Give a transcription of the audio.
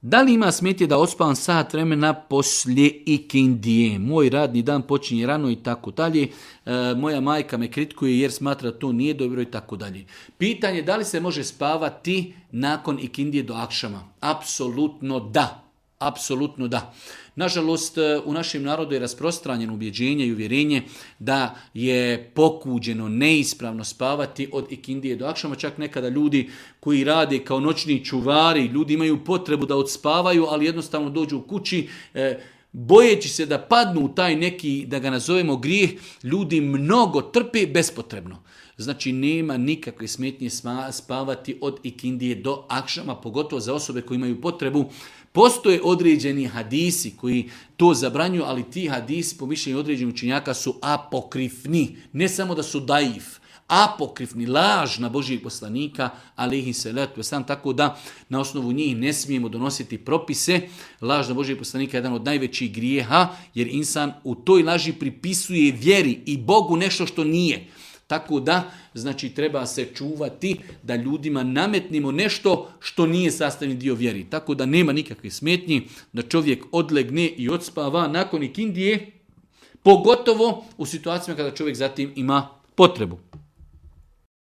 Da li ima smetnje da ospavam sat vremena poslije ikindije? Moj radni dan počinje rano i tako dalje. Moja majka me kritikuje jer smatra da to nije dobro i tako dalje. Pitanje da li se može spavati nakon ikindije do akšama? Apsolutno da. Apsolutno da. Nažalost, u našem narodu je rasprostranjeno ubjeđenje i uvjerenje da je pokuđeno, neispravno spavati od ikindije do akšama. Čak nekada ljudi koji rade kao noćni čuvari, ljudi imaju potrebu da odspavaju, ali jednostavno dođu u kući, bojeći se da padnu u taj neki, da ga nazovemo grijeh, ljudi mnogo trpe bespotrebno. Znači nema nikakve smetnje spavati od ikindije do akšama, pogotovo za osobe koje imaju potrebu. Postoje određeni hadisi koji to zabranjuju, ali ti hadisi po mišljenju određenih učenjaka su apokrifni. Ne samo da su daif, apokrifni, laž na Božijeg poslanika, alejhi salatu vesselam, tako da na osnovu njih ne smijemo donositi propise. Laž na Božijeg poslanika je jedan od najvećih grijeha, jer insan u toj laži pripisuje vjeri i Bogu nešto što nije. Tako da, znači, treba se čuvati da ljudima nametnimo nešto što nije sastavni dio vjeri. Tako da nema nikakve smetnji da čovjek odlegne i odspava nakon ikindije, pogotovo u situacijama kada čovjek zatim ima potrebu.